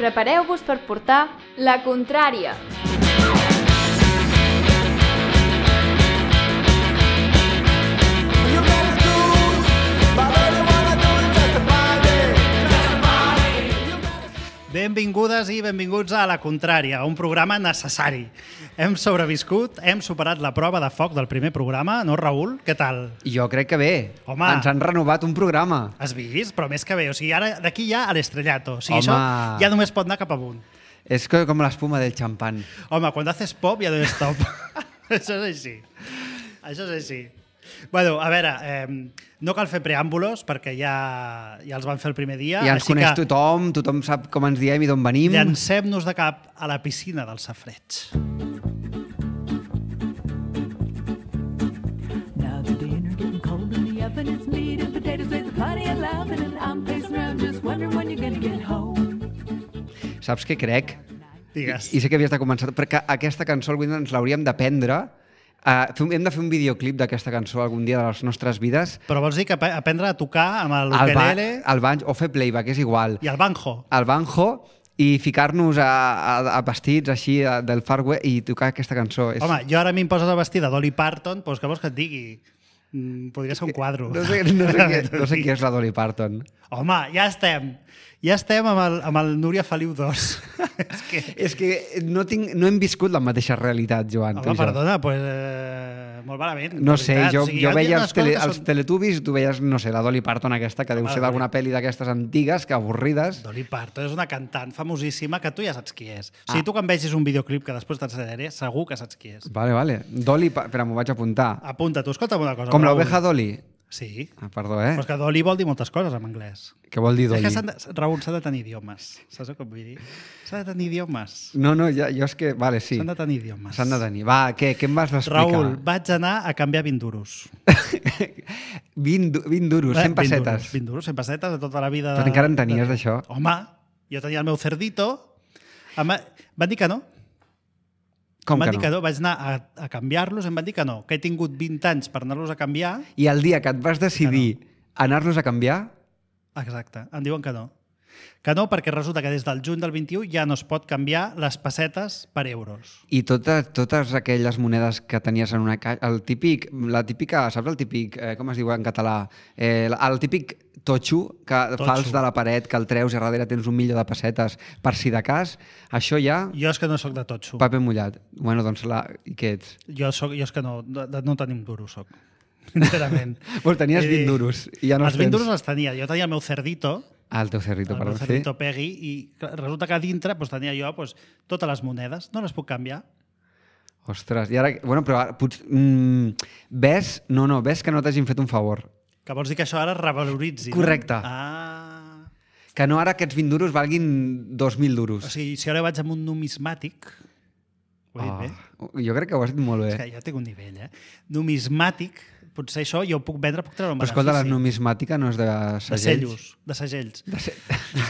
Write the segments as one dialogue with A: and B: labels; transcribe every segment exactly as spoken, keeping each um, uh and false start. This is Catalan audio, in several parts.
A: Prepareu-vos per portar la contrària.
B: Benvingudes i benvinguts a La Contrària, un programa necessari. Hem sobreviscut, hem superat la prova de foc del primer programa, no, Raül? Què tal?
C: Jo crec que bé.
B: Home.
C: Ens han renovat un programa.
B: Has vist? Però més que bé. O sigui, ara d'aquí ja a l'estrellato. O sigui,
C: Home.
B: això ja només pot anar cap amunt.
C: És que com l'espuma del xampan.
B: Home, quan haces pop ja no és top. Això és així. Això és així. Bueno, a veure, eh, no cal fer preàmbulos perquè ja, ja els van fer el primer dia.
C: Ja ens
B: així
C: coneix
B: que
C: tothom, tothom sap com ens diem i d'on venim.
B: llancem-nos de cap a la piscina del safareig.
D: Now the dinner getting cold in the oven, it's meat and potatoes with plenty of laughing, and I'm pacing around just wondering when you're gonna get home.
C: Saps què crec?
B: Digues.
C: I, I sé que havies de començar, perquè aquesta cançó algun dia ens l'hauríem d'aprendre. Uh, hem de fer un videoclip d'aquesta cançó algun dia de les nostres vides.
B: Però vols dir que ap- aprendre a tocar amb el
C: Al ba-
B: ukelele
C: al banjo, o fer playback, és igual.
B: i el banjo?
C: Al banjo i ficar-nos a, a, a vestits així a, del Far West i tocar aquesta cançó. És...
B: Home, jo ara a mi em poses a vestir de Dolly Parton, doncs què vols que et digui? Mm, podria ser un quadro.
C: No sé, no, sé què, no sé qui és la Dolly Parton.
B: Home, ja estem. Ja estem amb el, amb el Núria Feliu dos. És que...
C: És que no, tinc, no hem viscut la mateixa realitat, Joan. tu i
B: Home,
C: jo.
B: perdona, doncs eh, molt malament.
C: No
B: de
C: sé,
B: veritat.
C: jo,
B: O sigui,
C: jo
B: hi ha
C: veia
B: unes
C: els, tele,
B: coses que
C: els
B: són-
C: Teletubbies, tu veies, no sé, la Dolly Parton aquesta, que deu
B: Home,
C: ser
B: la
C: d'alguna
B: Dolly-
C: pel·li d'aquestes antigues, que avorrides.
B: Dolly Parton és una cantant famosíssima que tu ja saps qui és. O sigui,
C: Ah.
B: tu quan vegis un videoclip que després t'ensenyaré, segur que saps qui és.
C: Vale, vale. Dolly, Pa- espera, m'ho vaig apuntar.
B: Apunta, tu, escolta'm una cosa.
C: Com
B: Raül.
C: l'oveja Dolly?
B: Sí.
C: Ah, perdó, eh?
B: Però és que Dolly vol dir moltes coses en anglès.
C: Què vol dir
B: És
C: Dolly?
B: que s'han de, Raül, s'ha de tenir idiomes. Saps el que vull dir? S'ha de tenir idiomes.
C: No, no, ja, jo és que... Vale, sí.
B: S'han de tenir idiomes.
C: S'han de tenir. Va, què, què em vas explicar?
B: Raül, vaig anar a canviar vint duros.
C: vint, du- vint duros, cent
B: Eh, vint
C: pessetes.
B: duros, vint duros, cent pessetes de tota la vida.
C: Però encara en tenies,
B: de-
C: d'això?
B: Home, jo tenia el meu cerdito. Em va- Van dir que no.
C: Com
B: em van
C: que
B: dir que no. Vaig anar a, a canviar-los, em van dir que no. Que he tingut vint anys per anar-los a canviar.
C: I el dia que et vas decidir anar-los a canviar,
B: Exacte, em diuen que no. Que no, perquè resulta que des del juny del vint-i-u ja no es pot canviar les pessetes per euros.
C: i totes, totes aquelles monedes que tenies en una caixa, el típic, la típica, saps el típic, eh, com es diu en català? Eh, el, el típic totxo, que
B: Totxo.
C: fals de la paret, que el treus i a darrere tens un milió de pessetes per si de cas, això ja,
B: Jo és que no sóc de totxo.
C: paper mullat. Bueno, doncs, la... i què ets?
B: Jo, soc, jo és que no, de, de, no tenim duros, soc. Sincerament.
C: Pues tenies
B: Vull dir,
C: vint duros i ja no
B: els
C: els
B: vint
C: tens.
B: duros els tenia. Jo tenia el meu cerdito,
C: Ah, el teu cerrito,
B: el
C: perdó.
B: meu
C: Sí?
B: cerdito Peggy, i clar, resulta que a dintre doncs, tenia jo doncs, totes les monedes. No les puc canviar.
C: Ostres, i ara... Bueno, però ara, potser, mm, ves... No, no, ves que no t'hagin fet un favor.
B: Que vols dir que això ara es revaloritzi,
C: Correcte.
B: no? Ah.
C: Que no ara aquests vint duros valguin dos mil duros.
B: O sigui, si ara vaig amb un numismàtic... Ho he dit bé?
C: Oh, jo crec que ho has dit molt bé.
B: És que jo tinc un nivell, eh? Numismàtic, potser això jo ho puc vendre, puc treure un
C: Però escolta, la
B: benefici.
C: numismàtica no és de
B: De
C: segells.
B: cellos, de segells.
C: De, se...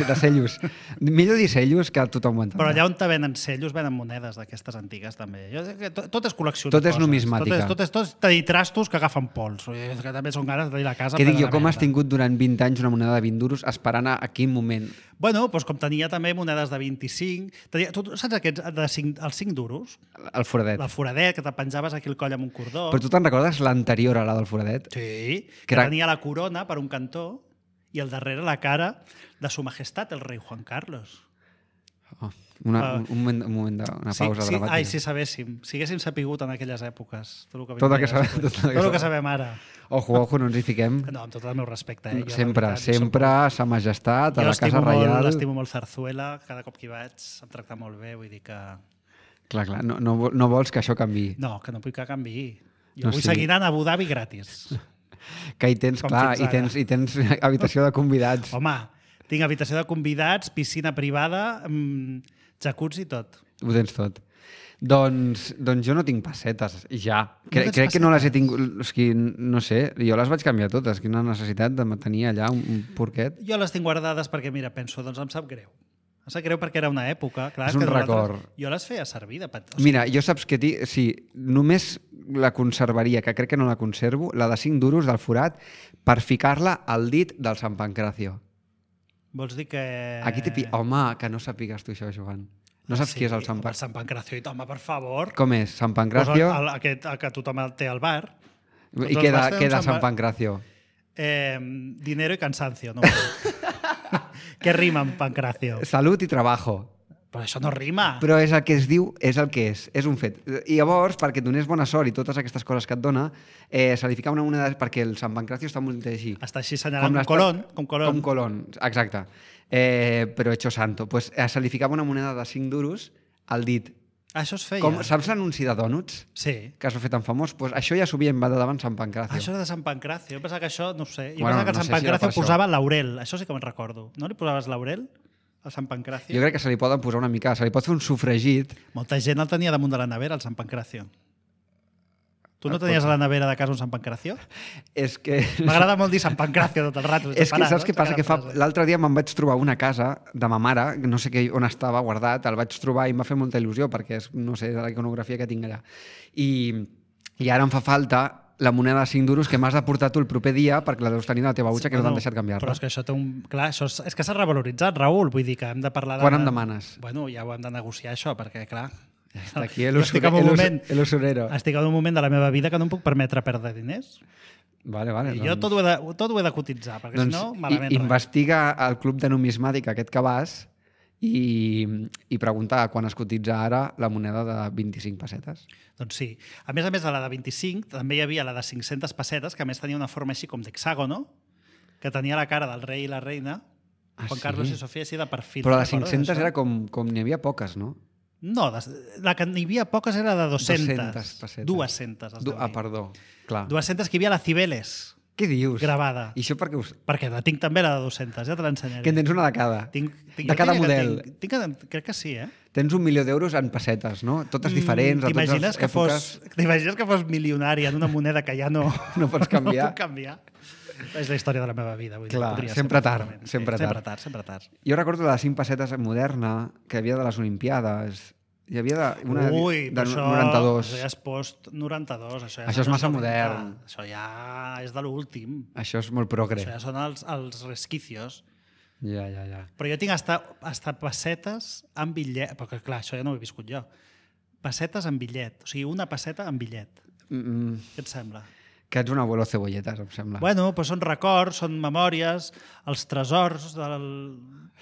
C: de cellos. Millor dir cellos que tothom ho entendrà.
B: Però allà on te venen cellos, venen monedes d'aquestes antigues, també. Jo, crec que tot, tot és col·lecció de
C: Tot és
B: coses.
C: numismàtica.
B: Tot és, tot és, tot és tenir trastos que agafen pols. Que també són ganes de tenir la casa
C: Què dic
B: plena
C: jo,
B: de
C: com has
B: merda.
C: tingut durant vint anys una moneda de vint duros esperant a, a quin moment?
B: Bueno, doncs com tenia també monedes de vint-i-cinc... Tenia, tu saps aquests, de cinc, els cinc duros?
C: El foradet.
B: El foradet, que te penjaves aquí el coll amb un cordó.
C: Però tu te'n recordes l'anterior a la del foradet?
B: Sí, que,
C: Que era-
B: tenia la corona per un cantó i al darrere la cara de su majestat, el rei Juan Carlos.
C: Oh, una,
B: Ah.
C: un, un moment, un moment de, una pausa
B: sí, sí,
C: dramàtica.
B: ai, si sabéssim, si haguéssim sapigut en aquelles èpoques tot el que,
C: Tot el que
B: vindria
C: sabem-
B: després.
C: tot el que
B: tot el que
C: sabem.
B: sabem ara.
C: Ojo, ojo, no ens hi fiquem.
B: No, amb tot el meu respecte. Eh? Jo, la
C: Sempre,
B: veritat, jo soc
C: sempre,
B: molt-
C: sa majestat, a
B: Jo
C: la
B: estimo
C: Casa
B: molt,
C: Reial.
B: estimo molt Zarzuela, cada cop que hi vaig em tracta molt bé, vull dir que...
C: Clar, clar, no, no, no vols que això canvi.
B: No, que no vull que canvi. Jo
C: No,
B: vull
C: sí.
B: seguir anant a Abu Dhabi gratis.
C: Que hi tens,
B: Com
C: clar,
B: fins
C: i
B: ara.
C: tens, i tens habitació de convidats.
B: Home, tinc habitació de convidats, piscina privada, mmm, jacuzzi i tot.
C: Ho tens tot. Doncs, doncs jo no tinc pessetes, ja.
B: No
C: Cre
B: tens
C: crec que no les he
B: pessetes?
C: tingut... És que, no sé, jo les vaig canviar totes. Quina necessitat de tenir allà un, un porquet.
B: Jo les tinc guardades perquè, mira, penso, doncs em sap greu. Em sap greu perquè era una època, clar,
C: És un
B: que nosaltres-
C: record.
B: Jo les feia servir de petit. O sigui,
C: Mira, jo saps que ti, sí, només la conservaria, que crec que no la conservo, la de cinc duros del forat, per ficar-la al dit del Sant Pancracio.
B: Vols dir que...
C: Aquí t'he pillat... Home, que no sàpigues tu això, Joan. No saps
B: sí,
C: qui és el Sant
B: home, el
C: Pancracio?
B: Sant Pancracio. Home, per favor.
C: Com és? Sant
B: Pues
C: Pancracio?
B: el, el, aquest, el que tothom el té al bar.
C: I
B: Tots els
C: queda,
B: bars tenen
C: queda
B: Sant
C: Sant
B: Pa-
C: Pancracio.
B: Eh, dinero y cansancio. No? Què rima amb Pancracio?
C: Salut i trabajo.
B: Però això no rima.
C: Però és el que es diu, és el que és, és un fet. I llavors, perquè et donés bona sort i totes aquestes coses que et dona, eh, se li fica una moneda, perquè el Sant Pancracio està molt així.
B: Està així senyalant com
C: l'estat-
B: Colón. Com Colón.
C: Com Colón, exacte. Eh, però hecho santo. Pues, eh, se li ficava una moneda de cinc duros al dit.
B: Ah, això es feia.
C: Com, saps l'anunci de Donuts?
B: Sí.
C: Que es va fer tan famós? Pues això ja s'havia inventat davant Sant Pancracio.
B: Ah, això és de Sant Pancracio. Jo pensava que això, no ho sé. Jo
C: Bueno,
B: pensava que el
C: no
B: Sant
C: sé si era
B: Pancracio
C: per això.
B: posava laurel. Això sí que me'n recordo. No li posaves laurel al Sant Pancracio?
C: Jo crec que se li poden posar una mica, se li pot fer un sofregit.
B: Molta gent el tenia damunt de la nevera, el Sant Pancracio. Tu no
C: Ah,
B: tenies
C: pot
B: a la nevera de casa un Sant Pancracio?
C: És que...
B: M'agrada molt dir Sant Pancracio tot el rato.
C: És que saps què passa? Que fa... L'altre dia me'n vaig trobar una casa de ma mare, no sé què, on estava guardat, el vaig trobar i em va fer molta il·lusió perquè és, no sé, de la iconografia que tinc allà. I, i ara em fa falta la moneda de cinc duros que m'has de portar tu el proper dia perquè la deus tenir a la teva butxa que no t'han deixat canviar-la.
B: Però és que això té un... Clar, això és, és que s'ha revaloritzat, Raül. Vull dir que hem de parlar de...
C: Quan em demanes?
B: Bueno, ja ho hem de negociar, això, perquè, clar...
C: Està aquí
B: jo estic en un moment,
C: el usurero.
B: estic en un moment de la meva vida que no em puc permetre perdre diners.
C: Vale, vale.
B: I jo tot ho, he de, tot ho he de cotitzar, perquè
C: doncs,
B: si no, malament
C: i,
B: res.
C: investiga al club de numismàtica aquest que vas i, i pregunta quan es cotitza ara la moneda de vint-i-cinc pessetes.
B: Doncs sí. A més a més de la de vint-i-cinc, també hi havia la de cinc-centes pessetes, que a més tenia una forma així com d'hexàgono, que tenia la cara del rei i la reina,
C: Ah,
B: Juan
C: sí?
B: Carlos i Sofia, així de perfil.
C: Però la
B: Recordes
C: cinc-centes
B: això?
C: era com, com n'hi havia poques, no?
B: No, des- la que n'hi havia poques era de dos-centes.
C: dos-centes pessetes.
B: Dues-centes, es
C: Du
B: deu
C: ah,
B: dir.
C: perdó. Clar.
B: Dues-centes que hi havia la Cibeles,
C: Què dius?
B: gravada.
C: I això perquè us...
B: Perquè la tinc també, la de dues-centes, ja te l'ensenyaré.
C: Que en tens una de cada.
B: Tinc, tinc,
C: de
B: jo
C: cada
B: diria que
C: model.
B: Tinc, tinc, crec que sí, eh?
C: Tens un milió d'euros en pessetes, no? Totes diferents,
B: Mm,
C: a totes
B: T'imagines
C: les
B: que
C: èpoques.
B: fos, t'imagines que fos milionari en una moneda que ja no,
C: No pots canviar.
B: no puc canviar. És la història de la meva vida. Vull dir,
C: Clar,
B: podria ser
C: sempre tard,
B: perfectament.
C: sempre
B: sí,
C: tard.
B: Sempre tard, sempre tard.
C: Jo recordo la de cinc pessetes moderna que hi havia de les Olimpiades. Hi havia de, una
B: Ui,
C: de
B: però això,
C: noranta-dos.
B: això ja és post-noranta-dos. Això, ja
C: Això és
B: són
C: massa
B: els noventa.
C: modern.
B: Això ja és de l'últim.
C: Això és molt progre.
B: Això ja són els, els resquicios.
C: Ja, ja, ja.
B: Però jo tinc hasta, hasta pessetes amb bitllet. Perquè, clar, això ja no ho he viscut jo. Pessetes amb bitllet. O sigui, una pesseta amb bitllet.
C: Mm,
B: Què et sembla?
C: que ets un abuelo cebolletes, em sembla.
B: Bueno, doncs són records, són memòries, els tresors del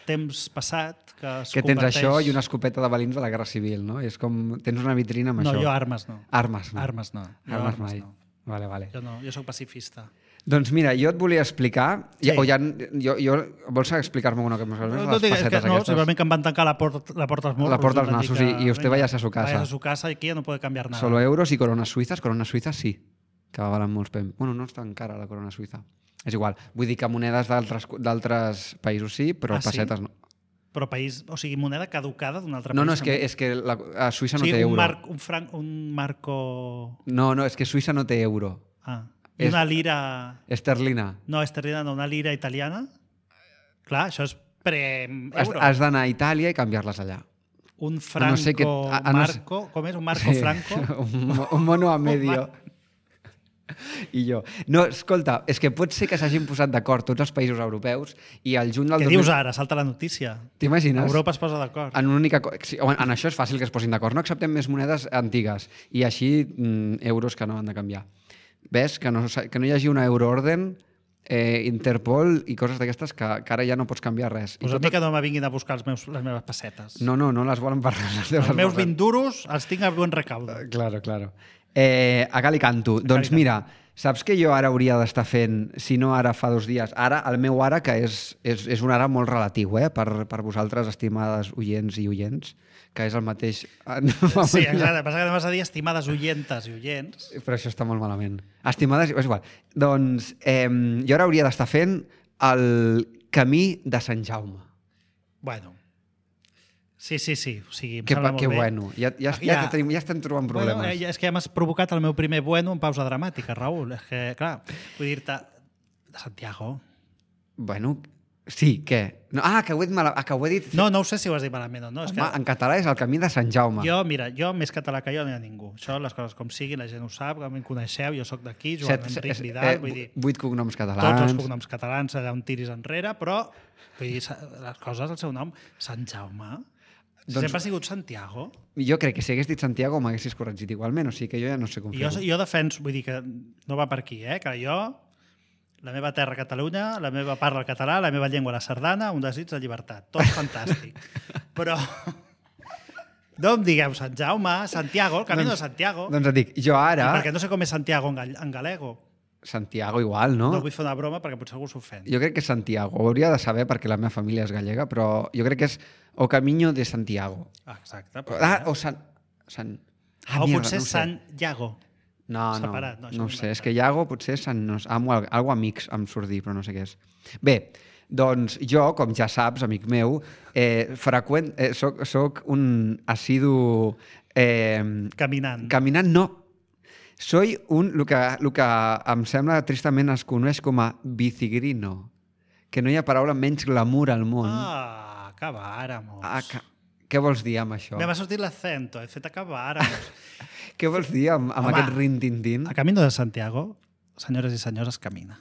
B: temps passat que es
C: que tens
B: converteix...
C: això i una escopeta de balins de la Guerra Civil, no? És com... Tens una vitrina amb
B: No,
C: això.
B: jo armes no.
C: Armes, no.
B: Armes no. Jo
C: Armes,
B: armes
C: mai.
B: no.
C: Vale, vale.
B: Jo no, jo sóc pacifista.
C: Doncs mira, jo et volia explicar...
B: Sí.
C: Ja, o ja, jo, jo, vols explicar-me una cosa més?
B: No,
C: Les
B: no, dic, és que
C: pessetes
B: no,
C: aquestes.
B: simplement que em van tancar la porta, la porta als morros.
C: La porta als
B: em van dir
C: nassos
B: que,
C: y- y usted
B: venga,
C: váyase a su casa.
B: Vayas a su casa y aquí ya no puede cambiar nada.
C: Solo euros i corones suïsses. Corones suïsses sí, que valen molts pem. Bueno, no és tan cara la corona suïssa. És igual. Vull dir que monedes d'altres d'altres països sí, però
B: Ah, sí?
C: pessetes no.
B: Però país, o sigui, moneda caducada d'un altre
C: No,
B: país.
C: no, és que,
B: també.
C: és que la, a Suïssa
B: o
C: no
B: sigui,
C: té
B: un,
C: euro.
B: marc, un, franc, un marco...
C: No, no, és que Suïssa no té euro.
B: Ah, i
C: És-
B: una lira...
C: Esterlina.
B: No, esterlina, no, una lira italiana. Clar, això és
C: Has,
B: pre-euro.
C: has d'anar a Itàlia i canviar-les allà.
B: Un franco
C: no sé què- a- a no sé-
B: marco... Com és? Un marco franco?
C: un, mo- un mono a medio. I jo. No, escolta, és que pot ser que s'hagin posat d'acord tots els països europeus i al juny del
B: Què
C: dos mil...
B: dius ara? Salta la notícia.
C: T'imagines?
B: Europa es posa d'acord.
C: En una única... co- sí, home, en això és fàcil que es posin d'acord. No acceptem més monedes antigues i així mm, euros que no han de canviar. Ves? Que no, sa- que no hi hagi una euroorden, eh, Interpol i coses d'aquestes que, que ara ja no pots canviar res. I
B: Pues a
C: tot-
B: mi que no me vinguin a buscar els meus, les meves pessetes.
C: No, no, no les volen per res. Les teves
B: Els meus
C: pessetes.
B: vint duros els tinc a buen recaudo.
C: Claro, claro. Eh, a cal i canto. Doncs
B: canto.
C: mira, saps que jo ara hauria d'estar fent, si no ara fa dos dies, ara, el meu ara, que és, és, és un ara molt relatiu, eh, per, per vosaltres, estimades oients i oients, que és el mateix...
B: Sí, exacte. Passa que no vas a dir estimades oyentes i oients.
C: Però això està molt malament. Estimades... És igual. Doncs eh, jo ara hauria d'estar fent el camí de Sant Jaume.
B: Bueno. Sí, sí, sí. O sigui, em
C: Que,
B: sembla molt
C: que
B: bé.
C: bueno. Ja, ja, ja,
B: Ja.
C: ja, tenim, ja estem trobant problemes.
B: Bueno, eh, és que ja m'has provocat el meu primer bueno en pausa dramàtica, Raül. És que, clar, vull dir-te... De Santiago.
C: Bueno, Sí, què? No, ah, que ho he dit malament. Ah, que ho he dit...
B: No, no ho sé si ho has dit malament o no. És
C: Home,
B: que
C: en català és el camí de Sant Jaume.
B: jo, mira, jo més català que jo no hi ha ningú. Això, les coses com siguin, la gent ho sap, que em coneixeu, jo sóc d'aquí, Joan
C: Set-
B: Enric
C: eh,
B: Vidal,
C: eh,
B: vull dir,
C: Vuit cognoms
B: tots els
C: catalans.
B: cognoms catalans, allà on tiris enrere, però vull dir, sa- les coses, el seu nom, Sant Jaume,
C: Doncs-
B: sempre ha sigut Santiago.
C: Jo crec que si hagués dit Santiago m'haguessis corregit igualment, o sigui que jo ja no sé com
B: I jo,
C: fer-ho.
B: jo defenso, vull dir que no va per aquí, eh? que jo, la meva terra Catalunya, la meva parla el català, la meva llengua la sardana, un desig de llibertat. Tot fantàstic. Però no em digueu Sant Jaume, Santiago, el camí de Santiago.
C: Doncs et dic, jo ara...
B: I perquè no sé com és Santiago en, gall en galego.
C: Santiago igual, no?
B: No vull fer una broma perquè potser algú s'ofèn.
C: Jo crec que és Santiago. Ho hauria de saber perquè la meva família és gallega, però jo crec que és o Camino de Santiago.
B: Ah, exacte. Però,
C: Ah, o Sant... Sant...
B: ah, o
C: mierda,
B: potser
C: no ho sé.
B: Sant Iago.
C: No, no,
B: separat, no, això
C: no
B: m'ho
C: ho
B: he
C: sé. És
B: inventat.
C: que Iago potser és Sant... No, algo, algo amics em surt dir, però no sé què és. Bé, doncs jo, com ja saps, amic meu, eh, freqüent, eh, soc, soc un assidu... Eh,
B: Caminant.
C: Caminant, no. Soy un, el que, el que em sembla tristament es coneix com a bicigrino, que no hi ha paraula menys glamour al món.
B: Ah, acabáramos.
C: Ah, que, què vols dir amb això?
B: Me va sortir l'acento, he fet acabáramos.
C: Què vols dir amb, amb
B: Home,
C: aquest rintintín?
B: A Camino de Santiago, senyores i senyors, es camina.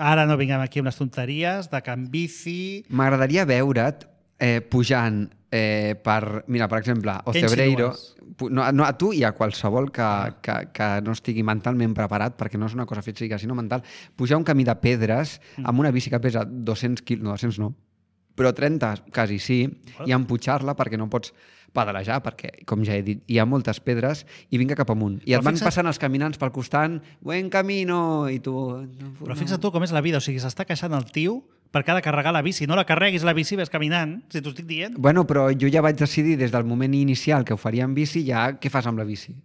B: Ara no vinguem aquí amb les tonteries de Can Bici...
C: M'agradaria veure't eh, pujant eh, per, mira, per exemple,
B: Què
C: Ocebreiro,
B: insinues?
C: pu- no, no, a tu i a qualsevol que, que, que no estigui mentalment preparat, perquè no és una cosa física, sinó mental, pujar un camí de pedres amb una bici que pesa dos-cents quilos, no, dos-cents no, però trenta quasi sí, i empujar-la perquè no pots pedalejar, perquè, com ja he dit, hi ha moltes pedres i vinga cap amunt. I
B: Però
C: et van
B: fixa't-
C: passant els caminants pel costat, buen camino, i tu... No,
B: Però fixa't tu com és la vida, o sigui, s'està queixant el tio perquè ha de carregar la bici. No la carreguis la bici, ves caminant, si t'ho estic dient.
C: Bueno, però jo ja vaig decidir des del moment inicial que ho faria en bici, ja què fas amb la bici?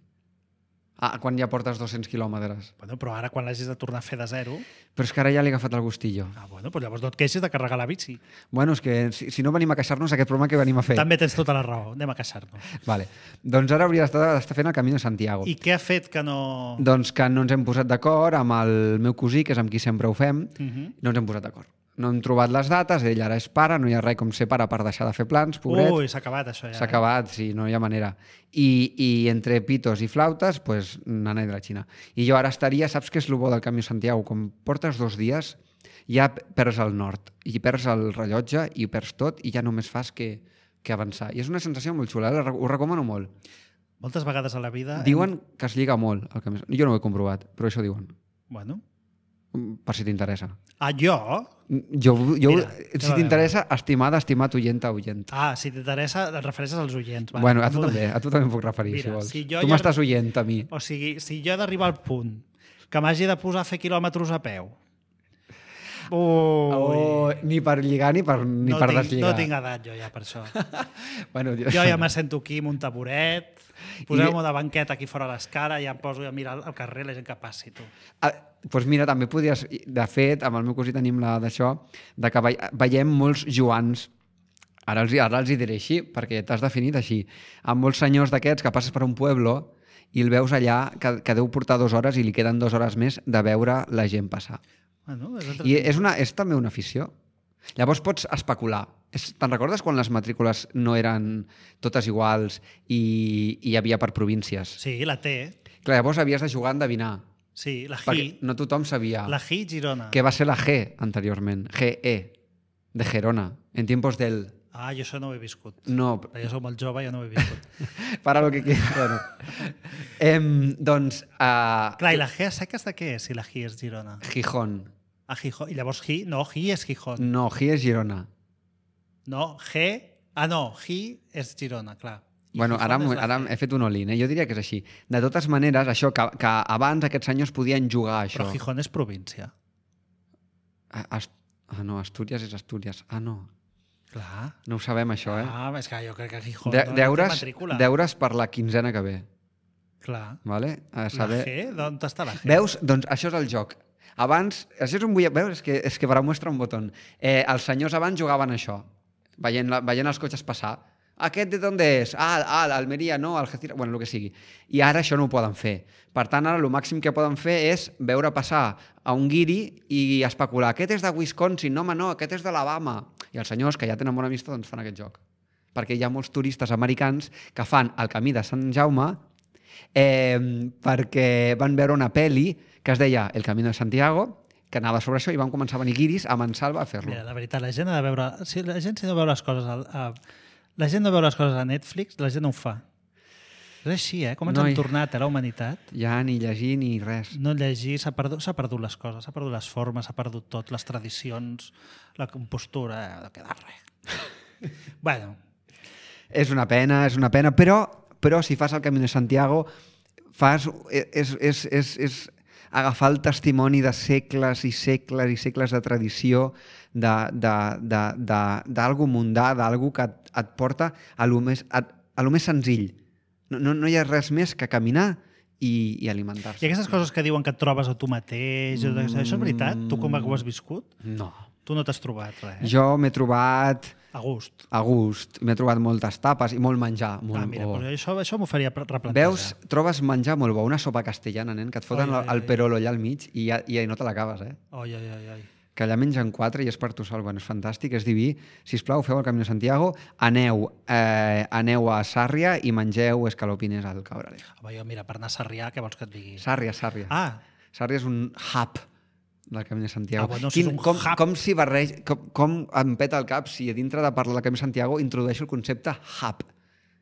C: Ah, quan ja portes dos-cents quilòmetres.
B: Bueno, però ara quan l'hagis de tornar a fer de zero...
C: Però és que ara ja l'he agafat el gustillo.
B: Ah, bueno, doncs llavors no et queixis de carregar la bici.
C: Bueno, és que si, si no venim a queixar-nos, aquest programa que venim a fer.
B: També tens tota la raó, anem a queixar-nos.
C: Vale. Doncs ara hauria d'estar d'estar fent el Camí de Santiago.
B: I què ha fet que no...
C: Doncs que no ens hem posat d'acord amb el meu cosí, que és amb qui sempre ho fem,
B: Mhm.
C: no ens hem posat d'acord. No hem trobat les dates, ell ara és pare, no hi ha res com ser pare per deixar de fer plans, pobret.
B: Ui, s'ha acabat això ja.
C: S'ha
B: eh?
C: acabat, sí, no hi ha manera. I, i entre pitos i flautes, pues, nana de la Xina. I jo ara estaria, saps què és el bo del Camí de Santiago? Com portes dos dies, ja perds el nord, i perds el rellotge, i perds tot, i ja només fas que, que avançar. I és una sensació molt xula, eh? Ho recomano molt.
B: Moltes vegades a la vida...
C: Diuen que es lliga molt el Camí de Santiago. Jo no ho he comprovat, però això diuen.
B: Bueno.
C: Per si t'interessa.
B: Ah, jo?
C: Jo, jo,
B: Mira,
C: si
B: ja
C: t'interessa, estimada, estimat oienta, oient.
B: Ah, si t'interessa, et refereixes als oients. Va.
C: Bueno, a tu també, a tu també em puc referir,
B: Mira,
C: si vols.
B: si jo
C: tu
B: ja-
C: m'estàs oient, a mi.
B: O sigui, si jo he d'arribar al punt que m'hagi de posar a fer quilòmetres a peu... Ui,
C: Oh, ni per lligar ni per, ni
B: no,
C: per
B: tinc,
C: deslligar.
B: no tinc edat jo ja per això.
C: Bueno,
B: Jo ja me sento aquí amb un taburet, poseu-me de banqueta aquí fora a l'escara, ja em poso a mirar al carrer la gent que passi, tu.
C: Ah, doncs mira, també podries... De fet, amb el meu cosí tenim la d'això, de que ve- veiem molts Joans, ara els, ara els hi diré així, perquè t'has definit així, amb molts senyors d'aquests que passes per un pueblo i el veus allà que, que deu portar dues hores i li queden dues hores més de veure la gent passar.
B: Bueno, és
C: I
B: entreteniment.
C: és, una, és també una afició. Llavors pots especular. És- Te'n recordes quan les matrícules no eren totes iguals i, i hi havia per províncies?
B: Sí, la T,
C: Clar, llavors havies de jugar a endevinar,
B: sí, la G,
C: perquè no tothom sabia
B: la G Girona.
C: què va ser la G anteriorment. G E, de Gerona, en tiempos del...
B: Ah, jo això no ho he viscut.
C: No,
B: Jo soc molt jove, jo no ho he viscut.
C: para lo que quieras. Bueno. em, doncs, a
B: Clar, i la G a seques de què és, si la G és Girona?
C: Gijón.
B: A Gijón. I llavors G, no, G és Gijón.
C: No, G és Girona.
B: No, G, ah no, G és Girona, clar. I
C: Bueno,
B: Gijón
C: ara,
B: és
C: m'ho-
B: la
C: ara
B: G.
C: he fet un all-in, eh? Jo diria que és així. De totes maneres, això, que, que abans aquests senyors podien jugar a això.
B: Però Gijón és província.
C: A- Ast ah, no, Astúries és Astúries. Ah, no.
B: Clar.
C: No ho sabem, això, eh?
B: Ah, és que jo crec que Gijón
C: De
B: no té
C: deures,
B: matrícula.
C: deures per la quinzena que ve.
B: Clar.
C: Vale? A
B: La
C: saber...
B: G, d'on està la G?
C: Veus? Doncs això és el joc. Abans, això és un bull... Veus? És que, és que para muestra un botó. Eh, els senyors abans jugaven a això, veient, la, veient els cotxes passar. aquest de d'on és? Ah, ah l'Almeria, no, Algeciras, bueno, el que sigui. I ara això no ho poden fer. Per tant, ara el màxim que poden fer és veure passar a un guiri i especular. Aquest és de Wisconsin, no, home, no, aquest és d'Alabama. I els senyors que ja tenen bona vista doncs fan aquest joc. Perquè hi ha molts turistes americans que fan el camí de Sant Jaume eh, perquè van veure una pel·li que es deia El Camino de Santiago, que anava sobre això i van començar a venir guiris a Mansalva a fer-lo.
B: Mira, la veritat, la gent ha de veure... Si la gent si no veu les coses... A, a, la gent no veu les coses a Netflix, la gent no ho fa. És així, eh? Com ens
C: No hi-
B: hem tornat a la humanitat.
C: Ja ni llegir ni res.
B: No llegir, s'ha perdut, s'ha perdut les coses, s'ha perdut les formes, s'ha perdut tot, les tradicions, la compostura, eh, no queda res. Bueno,
C: És una pena, és una pena, però, però si fas el Camí de Santiago, fas, és, és, és, és agafar el testimoni de segles i segles i segles de tradició, d'algú mundà, d'algú que et, et porta a lo més, a, a lo més senzill. No, no, no hi ha res més que caminar i, i alimentar-se.
B: i aquestes coses que diuen que et trobes a tu mateix, mm. això és veritat? Tu com ho has viscut?
C: No.
B: Tu no t'has trobat res, eh?
C: Jo m'he trobat
B: A gust.
C: a gust, m'he trobat moltes tapes i molt menjar. Molt
B: Ah, mira,
C: bo.
B: però això, això m'ho faria replantejar.
C: Veus, trobes menjar molt bo, una sopa castellana, nen, que et foten
B: Ai, ai,
C: el
B: ai.
C: perolo allà al mig i, ja, i no te l'acabes, eh?
B: Ai, ai, ai, ai.
C: Que allà mengen quatre i és per tu sol. Bueno, és fantàstic, és diví. Sisplau, feu el Camí de Santiago, aneu, eh, aneu a Sàrria i mengeu escalopines al Cabrales.
B: Home, jo, mira, per anar a Sarrià, què vols que et digui?
C: Sàrria, Sàrria.
B: Ah,
C: Sàrria és un hub del Camí de Santiago.
B: Ah, bueno, si és un
C: com,
B: hub.
C: com, si barrege, com, com em peta el cap si a dintre de parlar del Camí de Santiago introdueixo el concepte hub,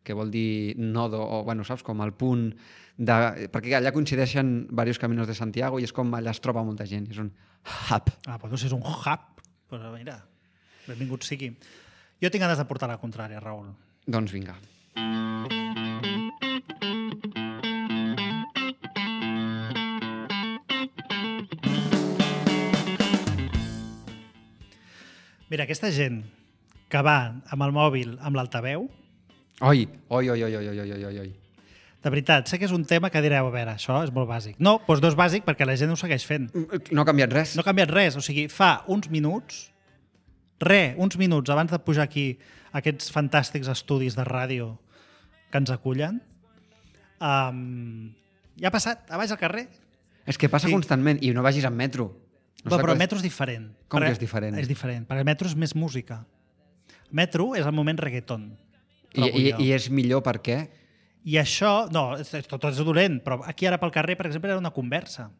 C: que vol dir nodo, o, bueno, saps, com el punt de... Perquè allà coincideixen diversos caminos de Santiago i és com allà es troba molta gent. És un hub.
B: ah bueno, si és un hub, però mira, benvingut sigui. Jo tinc ganes de portar la contrària, Raül.
C: Doncs vinga.
B: Mira, aquesta gent que va amb el mòbil, amb l'altaveu,
C: Oi, oi, oi, oi, oi, oi, oi, oi, oi.
B: de veritat, sé que és un tema que direu, a veure, això és molt bàsic. No, doncs no és bàsic perquè la gent ho segueix fent.
C: No ha canviat res.
B: No ha canviat res, o sigui, fa uns minuts, re, uns minuts abans de pujar aquí aquests fantàstics estudis de ràdio que ens acullen, um, ja ha passat, a baix al carrer.
C: És que passa
B: Sí.
C: constantment i no vagis amb metro. No
B: No, però
C: sé
B: el metro és diferent.
C: Com
B: Perquè-
C: que és diferent?
B: És diferent, perquè el metro és més música. El metro és el moment reggaeton.
C: I,
B: trobo
C: i,
B: jo.
C: I és millor per què?
B: I això, no, és, és, tot és dolent, però aquí ara pel carrer, per exemple, era una conversa.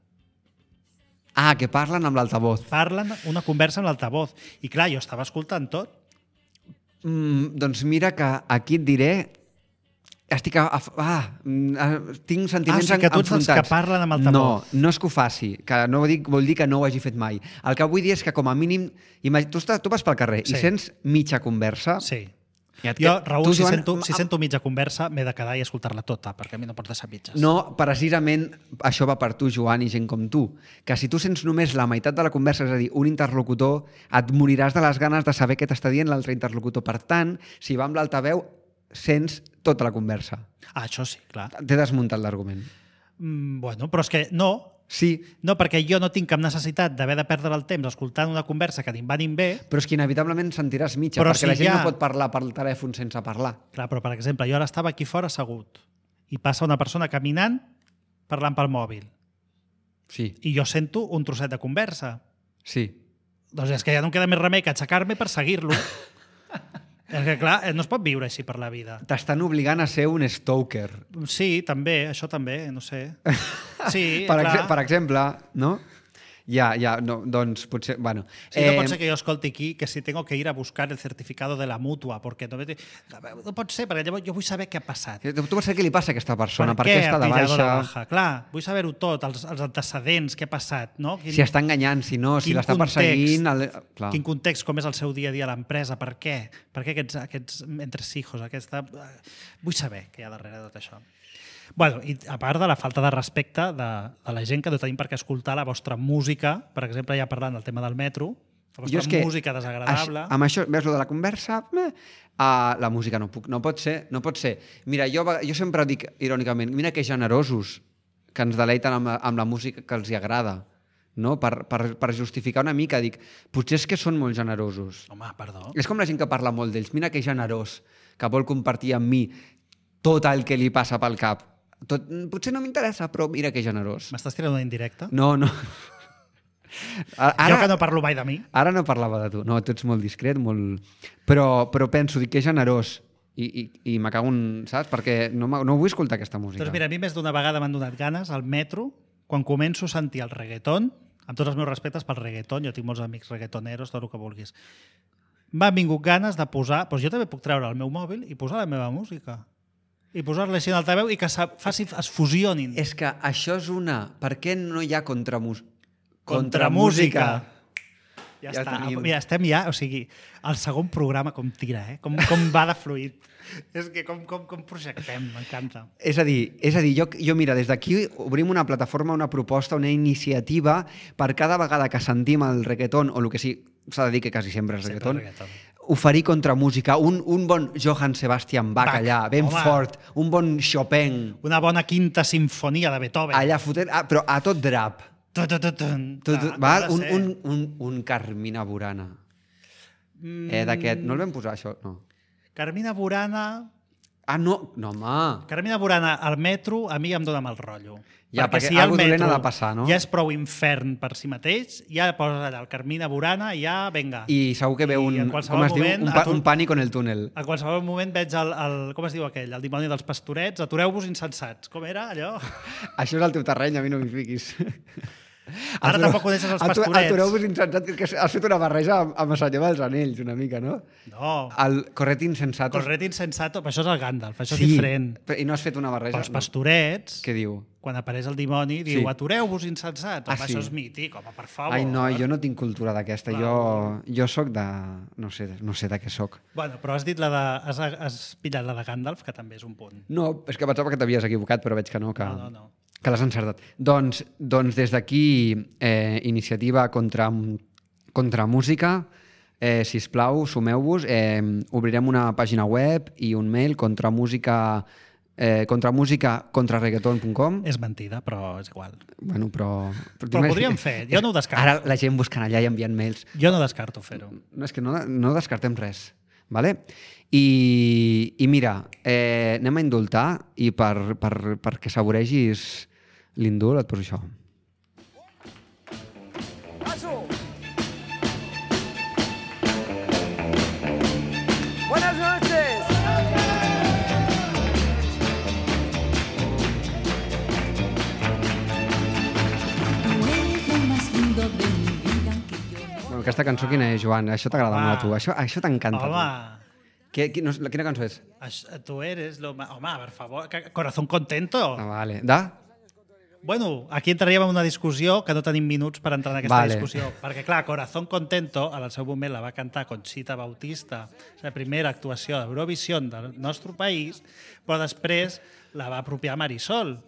C: Ah, que parlen amb l'altavoz.
B: Parlen una conversa amb l'altavoz. I clar, jo estava escoltant tot.
C: Mm, doncs mira que aquí et diré... Estic a, a, ah, mm, ah, tinc sentiments
B: Ah, o sigui que tu ets dels
C: enfrontats.
B: que parlen amb altavoz.
C: No, no és que ho faci, que no dic, vol dir que no ho hagi fet mai. El que vull dir és que com a mínim... Imag... Tu, estàs, tu vas pel carrer
B: Sí.
C: i sents mitja conversa...
B: Sí.
C: i et
B: Jo,
C: que-
B: Raül,
C: tu,
B: si,
C: Joan,
B: sento, si
C: am-
B: sento mitja conversa, m'he de quedar i escoltar-la tota, perquè a mi no pots deixar mitges.
C: No, precisament això va per tu, Joan, i gent com tu. Que si tu sents només la meitat de la conversa, és a dir, un interlocutor, et moriràs de les ganes de saber què t'està dient l'altre interlocutor. Per tant, si va amb l'altaveu, sents tota la conversa.
B: Ah, això sí, clar.
C: T'he desmuntat l'argument.
B: Mm, bueno, però és que no,
C: Sí,
B: no, perquè jo no tinc cap necessitat d'haver de perdre el temps escoltant una conversa que ni em va ni em ve.
C: però és que inevitablement sentiràs mitja,
B: Però
C: perquè
B: si
C: la gent
B: ja-
C: no pot parlar pel telèfon sense parlar.
B: Clar, però per exemple, jo ara estava aquí fora assegut i passa una persona caminant parlant pel mòbil
C: Sí,
B: i jo sento un trosset de conversa.
C: sí.
B: Doncs és que ja no em queda més remei que aixecar-me per seguir-lo. És que, clar, no es pot viure així per la vida.
C: T'estan obligant a ser un stalker.
B: Sí, també, això també, no sé. Sí,
C: per,
B: clar.
C: exe per exemple, no? Ja, ja, no, doncs potser... Bueno,
B: Sí, no pot ser que jo escolti aquí que si tengo que ir a buscar el certificado de la mutua, perquè no, no pot ser, perquè llavors jo vull saber què ha passat.
C: Tu vols saber què li passa a aquesta persona, per,
B: què
C: què està
B: ha
C: de
B: pillado
C: baixa,
B: la baja? Clar, vull saber-ho tot, els, els antecedents, què ha passat, no? Quin,
C: si està enganyant, si no, si
B: quin
C: l'està perseguint... El... Clar.
B: Quin context, com és el seu dia a dia a l'empresa, per què? Per què aquests, aquests entresijos, aquesta... Vull saber què hi ha darrere de tot això. Bueno, i a part de la falta de respecte de, de la gent que no tenim per què escoltar la vostra música, per exemple, ja parlant del tema del metro, la vostra
C: Jo és que
B: música desagradable...
C: Això, amb això, veus, lo de la conversa, eh, uh, la música no puc, no pot ser, no pot ser. Mira, jo, jo sempre dic irònicament, mira que generosos que ens deleiten amb, la- amb la música que els hi agrada. no? Per, per, per justificar una mica, dic, potser és que són molt generosos.
B: Home, perdó.
C: És com la gent que parla molt d'ells. Mira que generós, que vol compartir amb mi tot el que li passa pel cap. Tot, potser no m'interessa, però mira que generós.
B: M'estàs tirant una indirecta?
C: No, no.
B: Ara, jo que no parlo mai de mi.
C: Ara no parlava de tu. No, tu ets molt discret, molt... Però, però penso, dic que és generós. I, i, i me cago en... Saps? Perquè no, no vull escoltar aquesta música.
B: Doncs mira, a mi més d'una vegada m'han donat ganes al metro, quan començo a sentir el reggaeton, amb tots els meus respectes pel reggaeton, jo tinc molts amics reggaetoneros, tot el que vulguis, m'han vingut ganes de posar... Doncs jo també puc treure el meu mòbil i posar la meva música. I posar-la així en altaveu i que faci, es fusionin.
C: És que això és una... Per què no hi ha contramúsica?
B: Contramúsica. Ja,
C: Ja
B: està.
C: tenim.
B: Mira, estem ja, o sigui, el segon programa com tira, eh? Com, com va de fluid. És que com, com, com projectem, m'encanta.
C: És a dir, és a dir jo, jo mira, des d'aquí obrim una plataforma, una proposta, una iniciativa per cada vegada que sentim el reggaeton, o el que sí, s'ha de dir que quasi sempre és
B: Sempre
C: reggaeton,
B: reggaeton.
C: oferir contramúsica, un, un bon Johann Sebastian Bach,
B: Bach,
C: allà, ben
B: home.
C: fort, un bon Chopin,
B: Una bona quinta sinfonia de Beethoven.
C: allà fotent, ah, però a tot drap.
B: Tu, tu, tu, tu.
C: Tot,
B: Clar,
C: val?
B: ha de
C: Un,
B: ser.
C: un, un, un Carmina Burana.
B: Mm,
C: Eh, d'aquest, no el vam posar, això? No.
B: Carmina Burana...
C: Ah, no, no, home.
B: Carmina Burana al metro a mi em dóna mal rotllo.
C: Ja, perquè
B: si al
C: algo dolent
B: metro
C: ha de passar, no?
B: ja és prou infern per si mateix, ja poses allà el Carmina Burana i ja, venga.
C: I segur que ve
B: I
C: un,
B: en
C: com
B: qualsevol
C: es diu,
B: moment
C: un, pa,
B: atur-
C: un pànic en el túnel.
B: A qualsevol moment veig el, el... Com es diu aquell? El dimoni dels pastorets. Atureu-vos insensats. Com era allò?
C: Això és el teu terreny, a mi no m'hi fiquis.
B: Ara tampoc coneixes els pastorets.
C: Atureu-vos insensat, que has fet una barreja amb, amb el senyor dels anells, una mica, no?
B: No.
C: El corret insensato.
B: Corret insensato, però això és el Gandalf, això
C: Sí,
B: és diferent.
C: però- i no has fet una barreja.
B: Però els pastorets,
C: Què diu?
B: quan apareix el dimoni, diu
C: Sí.
B: atureu-vos insensats.
C: Ah,
B: Home,
C: sí?
B: això és mític, home, per favor.
C: Ai, no, jo no tinc cultura d'aquesta. Jo, jo sóc de... No sé, no sé de què sóc.
B: Bueno, però has dit la de... Has, has pillat la de Gandalf, que també és un punt.
C: No, és que pensava que t'havies equivocat, però veig que no, que,
B: No, no, no.
C: que l'has encertat. Doncs, doncs des d'aquí, eh, iniciativa contra, contra música, eh, sisplau, sumeu-vos, eh, obrirem una pàgina web i un mail contra música eh, contra música contra reggaeton punt com.
B: És mentida, però és igual.
C: Bueno, però...
B: Però ho podríem fer, jo no ho descarto.
C: Ara la gent buscant allà i enviant mails.
B: Jo no descarto fer-ho.
C: No, és que no, no descartem res. Vale? I, i mira, eh, anem a indultar i per, per, perquè saboregis l'indult et poso això.
E: Buenas noches.
D: Tú eres lo más lindo de mi vida que yo no.
C: Bueno, aquesta cançó quina és, Joan? Això t'agrada
B: Home.
C: molt a tu. Això, això t'encanta. a tu.
B: Home,
C: Què, qui, no, quina cançó és?
B: això, tu eres lo más... Home, per favor, que- corazón contento.
C: Ah, vale. De?
B: Bueno, aquí entraríem en una discussió que no tenim minuts per entrar en aquesta
C: Vale.
B: discussió. Perquè, clar, Corazón Contento, al seu moment la va cantar Conxita Bautista, la primera actuació d'Eurovisió del nostre país, però després la va apropiar Marisol.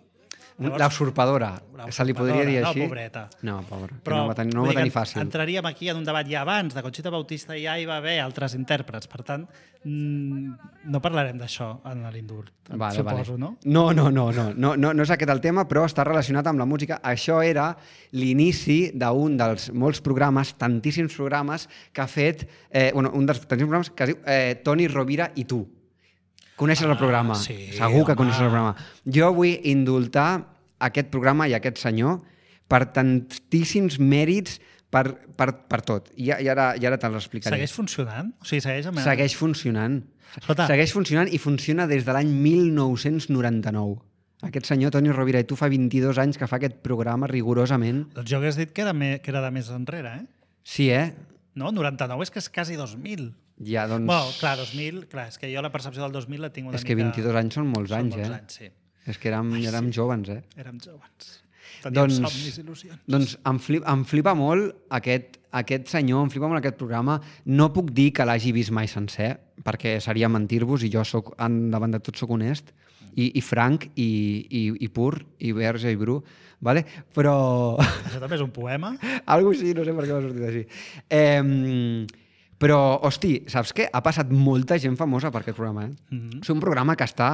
C: La usurpadora. Se li podria dir
B: no,
C: així?
B: pobreta.
C: No, pobra. que
B: Però
C: no va tenir, no
B: vull
C: va
B: dir
C: tenir
B: que
C: fàcil.
B: Entraríem aquí en un debat ja abans de Conxita Bautista, ja hi va haver altres intèrprets. Per tant, mm, no parlarem d'això en l'indult,
C: Vale,
B: suposo,
C: vale.
B: no?
C: No, no, no, no, no, no, no és aquest el tema, però està relacionat amb la música. Això era l'inici d'un dels molts programes, tantíssims programes, que ha fet, eh, bueno, un dels tantíssims programes que es diu eh, Toni Rovira i tu. Coneixes
B: Ah,
C: el programa?
B: sí,
C: Segur que
B: home.
C: coneixes el programa. Jo vull indultar aquest programa i aquest senyor per tantíssims mèrits per, per, per tot. I, i ara, i ara te l'explicaré.
B: Segueix funcionant? O sigui, segueix amb...
C: Segueix funcionant.
B: Escolta.
C: Segueix funcionant i funciona des de l'any mil nou-cents noranta-nou. Aquest senyor, Toni Rovira i tu, fa vint-i-dos anys que fa aquest programa rigorosament.
B: Doncs jo hagués dit que era, me, que era de més enrere, eh?
C: Sí, eh?
B: No, noranta-nou és que és quasi dos mil.
C: Ja, doncs...
B: Bueno, clar, dos mil, clar, és que jo la percepció del dos mil la tinc una
C: és que
B: mica...
C: vint-i-dos anys són molts
B: són
C: anys,
B: molts
C: eh?
B: anys, sí.
C: És que érem,
B: Ai,
C: érem
B: sí.
C: jovens, eh?
B: Érem joves. Teníem
C: Doncs,
B: somnis i il·lusions.
C: doncs em, flip, em flipa molt aquest, aquest senyor, em flipa molt aquest programa. No puc dir que l'hagi vist mai sencer, perquè seria mentir-vos i jo soc, davant de tot soc honest i, i franc i, i, i pur i verge i bru, vale? Però...
B: Això també és un poema?
C: Algo així, no sé per què m'ha sortit així. Eh, però, hosti, saps què? Ha passat molta gent famosa per aquest programa, eh?
B: Mhm.
C: És un programa que està